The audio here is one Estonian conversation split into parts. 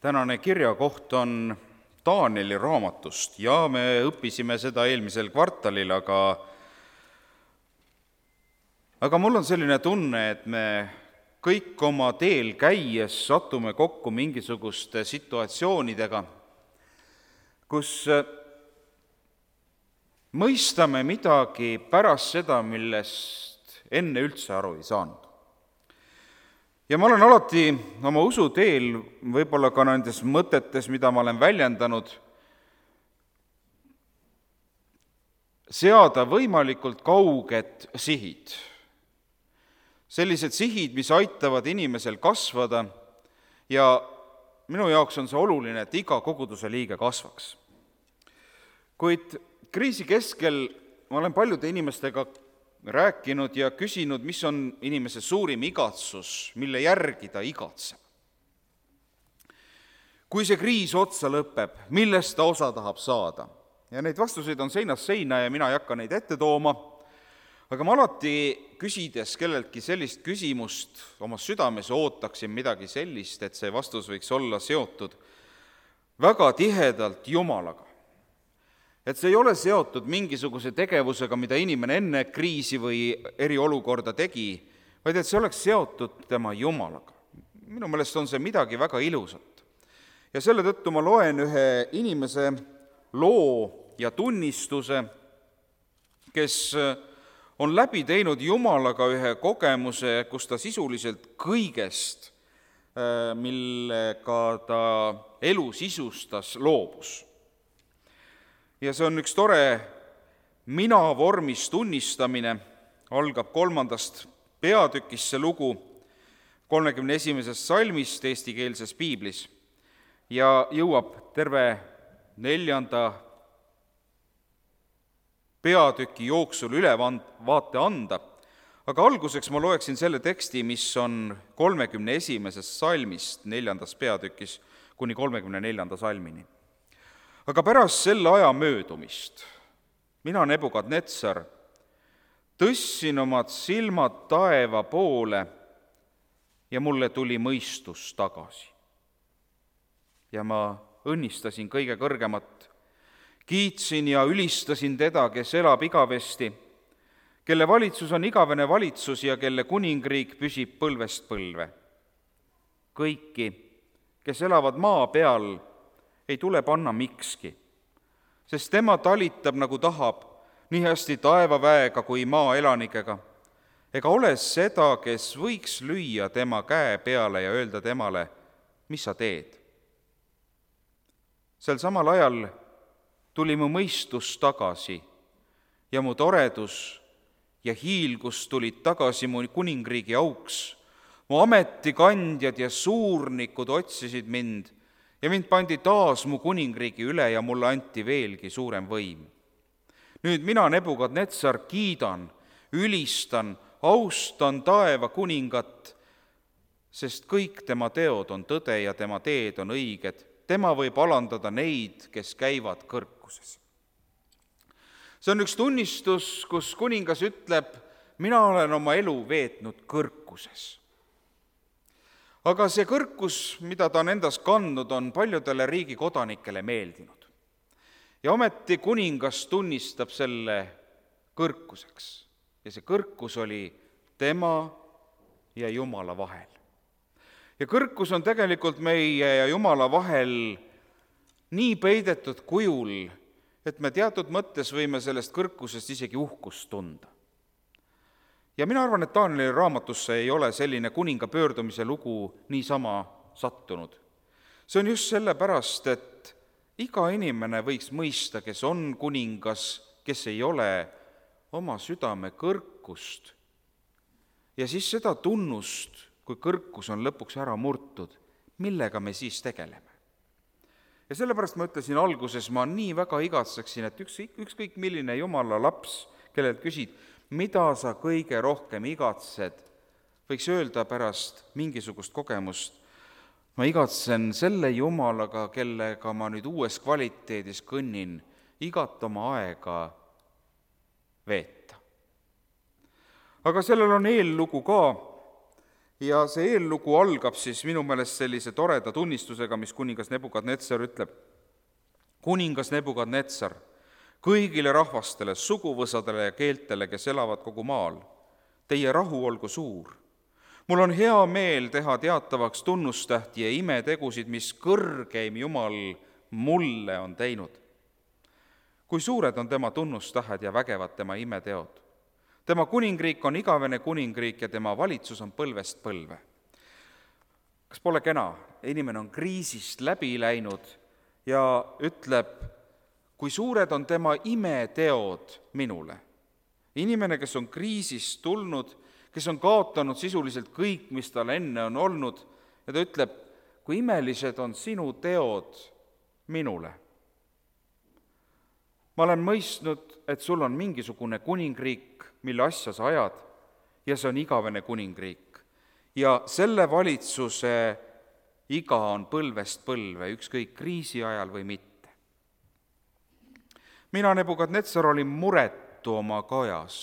Tänane kirjakoht on Taanieli raamatust ja me õppisime seda eelmisel kvartalil, aga mul on selline tunne, et me kõik oma teel käies satume kokku mingisuguste situatsioonidega, kus mõistame midagi pärast seda, millest enne üldse aru ei saanud. Ja ma olen alati oma usuteel, võib-olla ka nendes mõtetes, mida ma olen väljendanud, seada võimalikult kauged sihid. Sellised sihid, mis aitavad inimesel kasvada ja minu jaoks on see oluline, et iga koguduse liige kasvaks. Kuid kriisi keskel ma olen paljude inimestega rääkinud ja küsinud, mis on inimese suurim igatsus, mille järgi ta igatseb. Kui see kriis otsa lõpeb, millest ta osa tahab saada? Ja neid vastuseid on seinast seina ja mina ei hakka neid ette tooma, aga ma alati küsides kelleltki sellist küsimust oma südames ootaksin midagi sellist, et see vastus võiks olla seotud väga tihedalt Jumalaga. Et see ei ole seotud mingisuguse tegevusega, mida inimene enne kriisi või eriolukorda tegi, vaid et see oleks seotud tema Jumalaga. Minu meelest on see midagi väga ilusat. Ja selle tõttu ma loen ühe inimese loo ja tunnistuse, kes on läbi teinud Jumalaga ühe kogemuse, kus ta sisuliselt kõigest, millega ta elu sisustas, loobus. Ja see on üks tore mina-vormis tunnistamine, algab 3. peatükist see lugu 31. salmist eestikeelses piiblis ja jõuab terve 4. peatüki jooksul ülevaate anda, aga alguseks ma loeksin selle teksti, mis on 31. salmist 4. peatükis kuni 34. salmini. Aga pärast selle aja möödumist mina, Nebukadnetsar, tõstsin omad silmad taeva poole ja mulle tuli mõistus tagasi. Ja ma õnnistasin kõige kõrgemat, kiitsin ja ülistasin teda, kes elab igavesti, kelle valitsus on igavene valitsus ja kelle kuningriik püsib põlvest põlve. Kõiki, kes elavad maa peal, ei tule panna mikski, sest tema talitab nagu tahab, nii hästi taevaväega kui maa elanikega, ega ole seda, kes võiks lüüa tema käe peale ja öelda temale, mis sa teed. Sel samal ajal tuli mu mõistus tagasi ja mu toredus ja hiilgus tulid tagasi mu kuningriigi auks. Mu ametikandjad ja suurnikud otsisid mind ja mind pandi taas mu kuningriigi üle ja mulle anti veelgi suurem võim. Nüüd mina, Nebukadnetsar, kiidan, ülistan, austan taeva kuningat, sest kõik tema teod on tõde ja tema teed on õiged. Tema võib alandada neid, kes käivad kõrkuses. See on üks tunnistus, kus kuningas ütleb, mina olen oma elu veetnud kõrkuses. Aga see kõrkus, mida ta on endas kandnud, on paljudele riigi kodanikele meeldinud. Ja ometi kuningas tunnistab selle kõrkuseks. Ja see kõrkus oli tema ja Jumala vahel. Ja kõrkus on tegelikult meie ja Jumala vahel nii peidetud kujul, et me teatud mõttes võime sellest kõrkusest isegi uhkust tunda. Ja mina arvan, et Taanieli raamatusse ei ole selline kuninga pöördumise lugu niisama sattunud. See on just sellepärast, et iga inimene võiks mõista, kes on kuningas, kes ei ole, oma südame kõrkust. Ja siis seda tunnust, kui kõrkus on lõpuks ära murtud, millega me siis tegeleme. Ja sellepärast ma ütlesin alguses, ma nii väga igatseksin, et ükskõik milline Jumala laps, kellelt küsid, mida sa kõige rohkem igatsed, võiks öelda pärast mingisugust kogemust, ma igatsen selle Jumalaga, kellega ma nüüd uues kvaliteedis kõnnin, igat oma aega veeta. Aga sellel on eellugu ka Ja see eellugu algab siis minu meelest sellise toreda tunnistusega, mis kuningas Nebukadnetsar ütleb. Kuningas Nebukadnetsar, kõigile rahvastele, suguvõsadele ja keeltele, kes elavad kogu maal, teie rahu olgu suur. Mul on hea meel teha teatavaks tunnustähti ja imetegusid, mis kõrgeim Jumal mulle on teinud. Kui suured on tema tunnustähed ja vägevad tema imeteod. Tema kuningriik on igavene kuningriik ja tema valitsus on põlvest põlve. Kas pole kena? Inimene on kriisist läbi läinud ja ütleb, kui suured on tema imeteod minule. Inimene, kes on kriisist tulnud, kes on kaotanud sisuliselt kõik, mis tal enne on olnud, ja ta ütleb, kui imelised on sinu teod minule. Ma olen mõistnud, et sul on mingisugune kuningriik, mille asja sa ajad, ja see on igavene kuningriik. Ja selle valitsuse iga on põlvest põlve, ükskõik kriisi ajal või mitte. Mina, Nebukadnetsar, olin muretu oma kajas,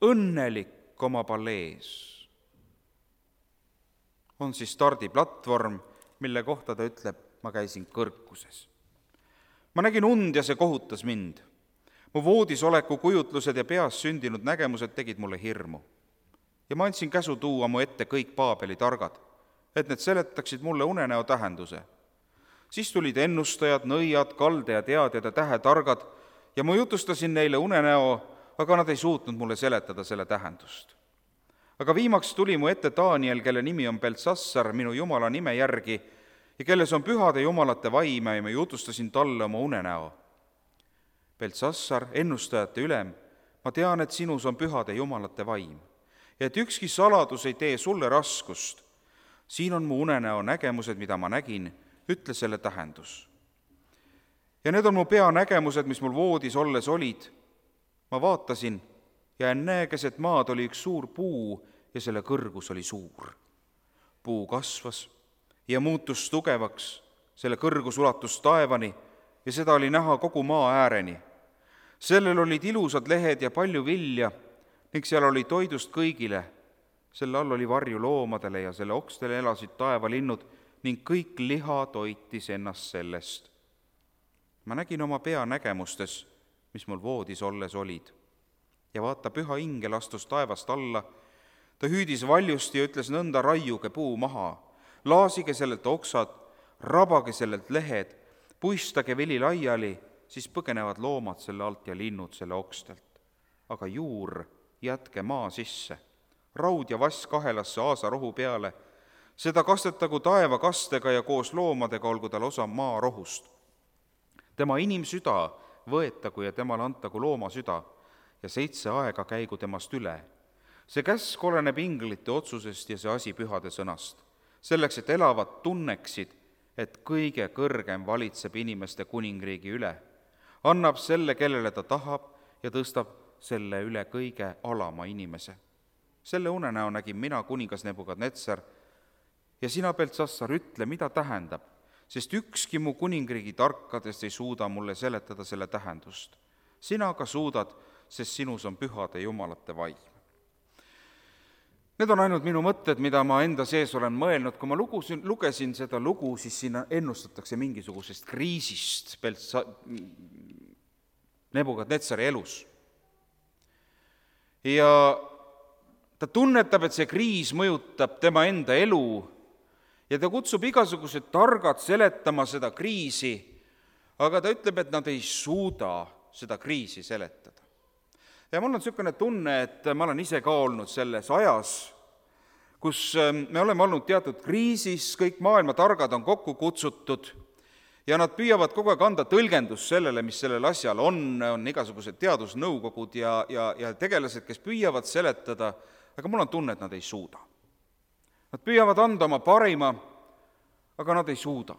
õnnelik oma palees. On siis stardiplatvorm, mille kohta ta ütleb, ma käisin kõrguses. Ma nägin und ja see kohutas mind. Mu voodisoleku kujutlused ja peas sündinud nägemused tegid mulle hirmu. Ja ma andsin käsu tuua mu ette kõik Paabeli targad, et need seletaksid mulle unenäo tähenduse. Siis tulid ennustajad, nõiad, kaldeateadjad ja tähetargad ja ma jutustasin neile unenäo, aga nad ei suutnud mulle seletada selle tähendust. Aga viimaks tuli mu ette Daniel, kelle nimi on Beltsassar minu Jumala nime järgi ja kelles on pühade jumalate vaime ja ma jutustasin talle oma unenäo. Beltsassar, ennustajate ülem, ma tean, et sinus on pühade jumalate vaim ja et ükski saladus ei tee sulle raskust. Siin on mu unenäo nägemused, mida ma nägin, ütle selle tähendus. Ja need on mu peanägemused, mis mul voodis olles olid. Ma vaatasin ja ennäe, keset maad oli üks suur puu ja selle kõrgus oli suur. Puu kasvas ja muutus tugevaks, selle kõrgus ulatus taevani ja seda oli näha kogu maa ääreni. Sellel olid ilusad lehed ja palju vilja ning seal oli toidust kõigile. Selle all oli varju loomadele ja selle okstele elasid taevalinnud ning kõik liha toitis ennast sellest. Ma nägin oma peanägemustes, mis mul voodis olles olid. Ja vaata, püha ingel astus taevast alla. Ta hüüdis valjusti ja ütles nõnda, raiuge puu maha, laasige sellelt oksad, rabage sellelt lehed, puistage vili laiali, siis põgenevad loomad selle alt ja linnud selle okstelt. Aga juur jätke maa sisse, raud ja vass kahelasse aasarohu peale, seda kastetagu taevakastega ja koos loomadega olgu tal osa maa rohust. Tema inimsüda võetagu ja temale antagu looma süda ja 7 aega käigu temast üle. See käsk oleneb inglite otsusest ja see asi pühade sõnast, selleks, et elavad tunneksid, et kõige kõrgem valitseb inimeste kuningriigi üle, annab selle, kellele ta tahab ja tõstab selle üle kõige alama inimese. Selle unenäo nägin mina, kuningas Nebukadnetsar, ja sina, Beltsassar, ütle, mida tähendab, sest ükski mu kuningriigi tarkadest ei suuda mulle seletada selle tähendust. Sina aga suudad, sest sinus on pühade jumalate vaim. Need on ainult minu mõtted, mida ma enda sees olen mõelnud. Kui ma lugesin seda lugu, siis siin ennustatakse mingisugusest kriisist Nebukadnetsari elus. Ja ta tunnetab, et see kriis mõjutab tema enda elu ja ta kutsub igasugused targad seletama seda kriisi, aga ta ütleb, et nad ei suuda seda kriisi seletada. Ja mul on niisugune tunne, et ma olen ise ka olnud selles ajas, kus me oleme olnud teatud kriisis, kõik maailma targad on kokku kutsutud ja nad püüavad kogu aeg anda tõlgendust sellele, mis sellel asjal on igasugused teadusnõukogud ja tegelased, kes püüavad seletada, aga mul on tunne, et nad ei suuda. Nad püüavad anda oma parima, aga nad ei suuda.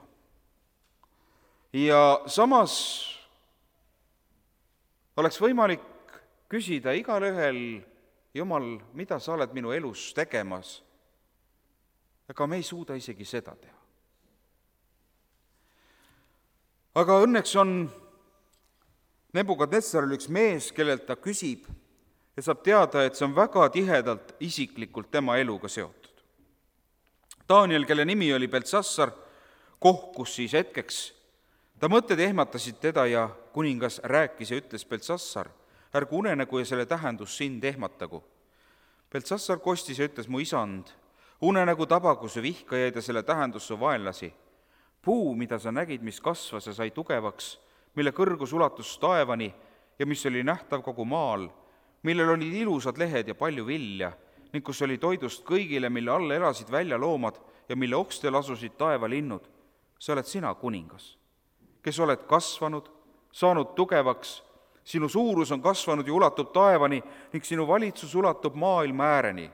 Ja samas oleks võimalik küsida igal ühel, Jumal, mida sa oled minu elus tegemas, aga me ei suuda isegi seda teha. Aga õnneks on Nebukadnetsaril üks mees, kellelt ta küsib ja saab teada, et see on väga tihedalt isiklikult tema eluga seotud. Daniel, kelle nimi oli Beltsassar, kohkus siis hetkeks. Ta mõtted ehmatasid teda ja kuningas rääkis ja ütles: Beltsassar, ärgu unenägu ja selle tähendus sind ehmatagu. Beltsassar kostis ja ütles: mu isand, unenägu tabagu su vihkajaid ja selle tähendus su vaenlasi. Puu, mida sa nägid, mis kasvas ja sai tugevaks, mille kõrgus ulatus taevani ja mis oli nähtav kogu maal, millel olid ilusad lehed ja palju vilja, ning kus oli toidust kõigile, mille all elasid väljaloomad ja mille okstel asusid taevalinnud. Sa oled sina, kuningas, kes oled kasvanud, saanud tugevaks, sinu suurus on kasvanud ja ulatub taevani ning sinu valitsus ulatub maailma ääreni.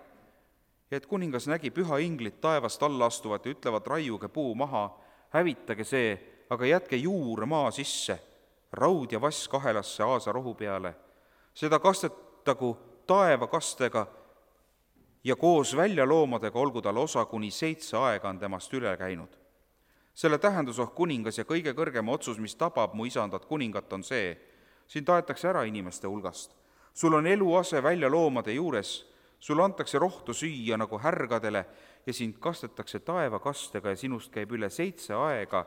Ja et kuningas nägi püha inglit taevast alla astuvat ja ütlevad: raiuge puu maha, hävitage see, aga jätke juur maa sisse, raud ja vass kahelasse aasa rohu peale. Seda kastetagu taevakastega ja koos väljaloomadega olgu tal osa, kuni 7 aega on temast üle käinud. Selle tähendus, kuningas, ja kõige kõrgem otsus, mis tabab mu isandat kuningat, on see: sind taetakse ära inimeste hulgast. Sul on eluase väljaloomade juures, sul antakse rohtu süüa nagu härgadele ja sind kastetakse taevakastega ja sinust käib üle 7 aega,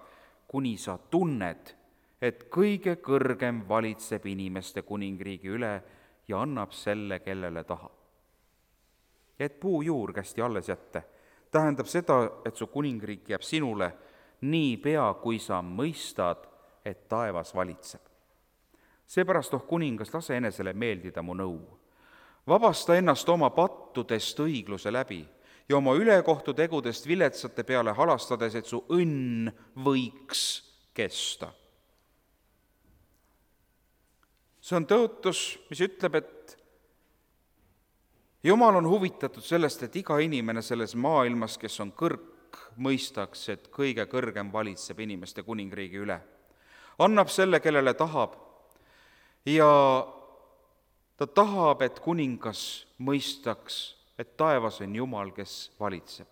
kuni sa tunned, et kõige kõrgem valitseb inimeste kuningriigi üle ja annab selle, kellele tahab. Ja et puujuur kästi alles jätta, tähendab seda, et su kuningriik jääb sinule nii pea, kui sa mõistad, et taevas valitseb. Seepärast, kuningas, lase enesele meeldida mu nõu. Vabasta ennast oma pattudest õigluse läbi ja oma ülekohtu tegudest viletsate peale halastades, et su õnn võiks kesta. See on tõotus, mis ütleb, et Jumal on huvitatud sellest, et iga inimene selles maailmas, kes on kõrg, mõistaks, et kõige kõrgem valitseb inimeste kuningriigi üle. Annab selle, kellele tahab, ja ta tahab, et kuningas mõistaks, et taevas on Jumal, kes valitseb.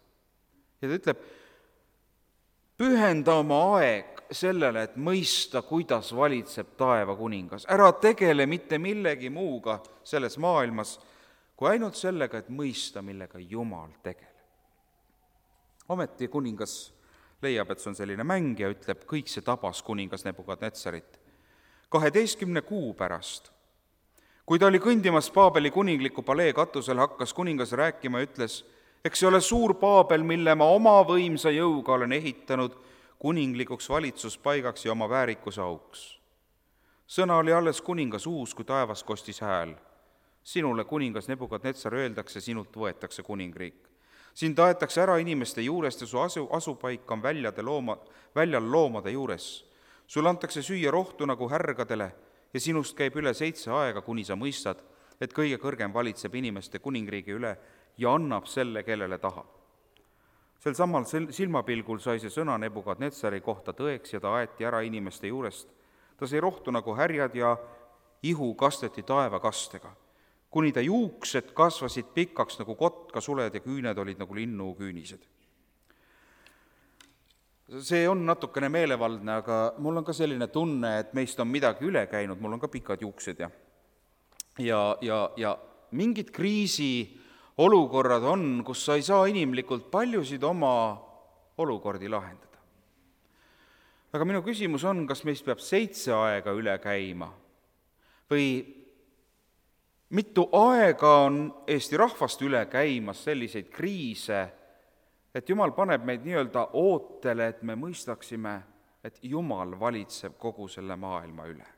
Ja ta ütleb: pühenda oma aeg sellele, et mõista, kuidas valitseb taeva kuningas. Ära tegele mitte millegi muuga selles maailmas, kui ainult sellega, et mõista, millega Jumal tegeleb. Ometi kuningas leiab, et see on selline mäng ja ütleb: kõik see tabas kuningas Nebukadnetsarit. 12 kuu pärast, kui ta oli kõndimas Paabeli kuningliku palee katusel, hakkas kuningas rääkima ja ütles: eks see ole suur Paabel, mille ma oma võimsa jõuga olen ehitanud kuninglikuks valitsuspaigaks ja oma väärikuse auks. Sõna oli alles kuningas uus, kui taevas kostis hääl: sinule, kuningas Nebukadnetsar, öeldakse, sinult võetakse kuningriik. Sind taetakse ära inimeste juurest ja su asupaik on väljal loomade juures. Sul antakse süüa rohtu nagu härgadele ja sinust käib üle 7 aega, kuni sa mõistad, et kõige kõrgem valitseb inimeste kuningriigi üle ja annab selle, kellele tahab. Sel samal silmapilgul sai see sõna Nebukadnetsari kohta tõeks ja ta aeti ära inimeste juurest. Ta sai rohtu nagu härjad ja ihu kasteti taevakastega, kuni ta juuksed kasvasid pikaks nagu kotkasuled ja küüned olid nagu linnuküünised. See on natukene meelevaldne, aga mul on ka selline tunne, et meist on midagi üle käinud, mul on ka pikad juuksed ja mingid kriisiolukorrad on, kus sa ei saa inimlikult paljusid oma olukordi lahendada. Aga minu küsimus on, kas meist peab 7 aega üle käima või mitu aega on Eesti rahvast üle käimas selliseid kriise, et Jumal paneb meid nii-öelda ootele, et me mõistaksime, et Jumal valitseb kogu selle maailma üle.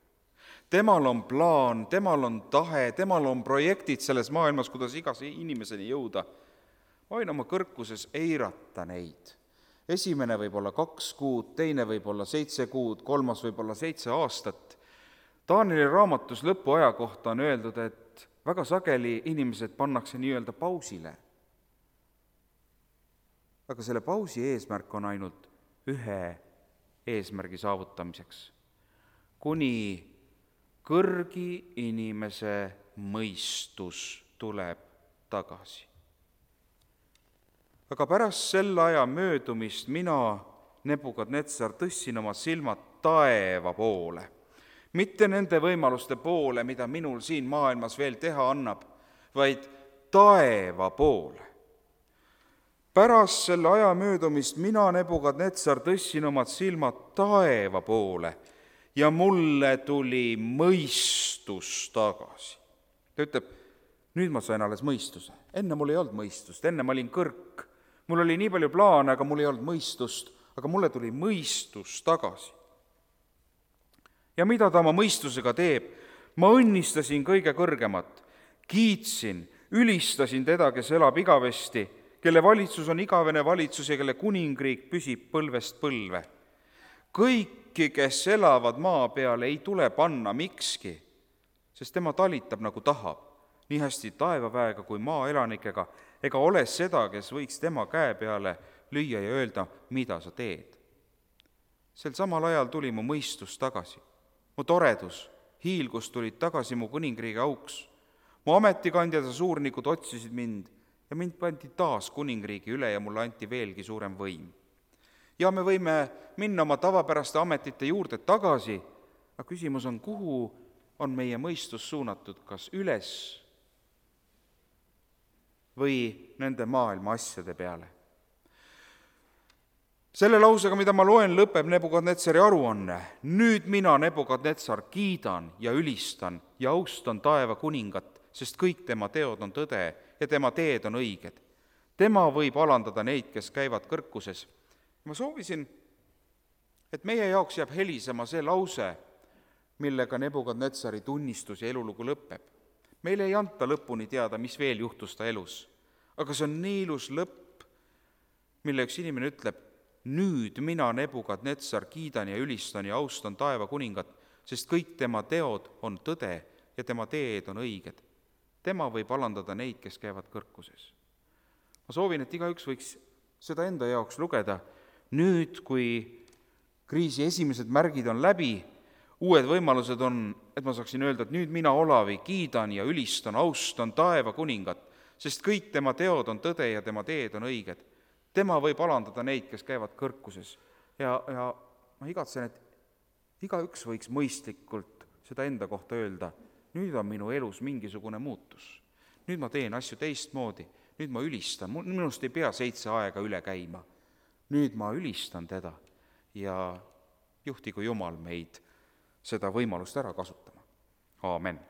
Temal on plaan, temal on tahe, temal on projektid selles maailmas, kuidas igas inimeseni jõuda. Ma võin oma kõrkuses eirata neid. Esimene võib olla 2 kuud, teine võib olla 7 kuud, 3 võib olla 7 aastat. Danieli raamatus lõpuaja kohta on öeldud, et väga sageli inimesed pannakse nii-öelda pausile. Aga selle pausi eesmärk on ainult ühe eesmärgi saavutamiseks, kuni kõrgi inimese mõistus tuleb tagasi. Aga pärast selle aja möödumist mina, Nebukadnetsar, tõstsin oma silmad taeva poole, mitte nende võimaluste poole, mida minul siin maailmas veel teha annab, vaid taeva poole. pärast selle aja möödumist mina, Nebukadnetsar, tõstsin omad silmad taeva poole ja mulle tuli mõistus tagasi. Ta ütleb, nüüd ma sain alles mõistuse. Enne mul ei olnud mõistust, enne ma olin kõrk. Mul oli nii palju plaane, aga mul ei olnud mõistust, aga mulle tuli mõistus tagasi. Ja mida ta oma mõistusega teeb? Ma õnnistasin kõige kõrgemat, kiitsin, ülistasin teda, kes elab igavesti, kelle valitsus on igavene valitsus ja kelle kuningriik püsib põlvest põlve. Kõiki, kes elavad maa peal, ei tule panna mikski, sest tema talitab nagu tahab, nii hästi taevaväega kui maaelanikega, ega ole seda, kes võiks tema käe peale lüüa ja öelda, mida sa teed. Sel samal ajal tuli mu mõistus tagasi, mu toredus, hiilgus tulid tagasi mu kuningriigi auks. Mu ametikandjad ja suurnikud otsisid mind ja mind pandi taas kuningriigi üle ja mulle anti veelgi suurem võim. Ja me võime minna oma tavapäraste ametite juurde tagasi, aga küsimus on, kuhu on meie mõistus suunatud, kas üles või nende maailma asjade peale. Selle lausega, mida ma loen, lõpeb Nebukadnetsari aruanne. Nüüd mina, Nebukadnetsar, kiidan ja ülistan ja austan taeva kuningat, sest kõik tema teod on tõde ja tema teed on õiged. Tema võib alandada neid, kes käivad kõrkuses. Ma soovisin, et meie jaoks jääb helisema see lause, millega Nebukadnetsari tunnistus ja elulugu lõpeb. Meile ei anta lõpuni teada, mis veel juhtus ta elus, aga see on nii ilus lõpp, mille üks inimene ütleb, nüüd mina, Nebukadnetsar, kiidan ja ülistan ja austan taeva kuningat, sest kõik tema teod on tõde ja tema teed on õiged. Tema võib alandada neid, kes käivad kõrkuses. Ma soovin, et igaüks võiks seda enda jaoks lugeda. Nüüd, kui kriisi esimesed märgid on läbi, uued võimalused on, et ma saaksin öelda, et nüüd mina, Olavi, kiidan ja ülistan, austan taeva kuningat, sest kõik tema teod on tõde ja tema teed on õiged. Tema võib alandada neid, kes käivad kõrkuses. Ja ma igatsen, et igaüks võiks mõistlikult seda enda kohta öelda, nüüd on minu elus mingisugune muutus. Nüüd ma teen asju teistmoodi, nüüd ma ülistan, minust ei pea 7 aega üle käima. Nüüd ma ülistan teda ja juhtigu Jumal meid seda võimalust ära kasutama. Aamen.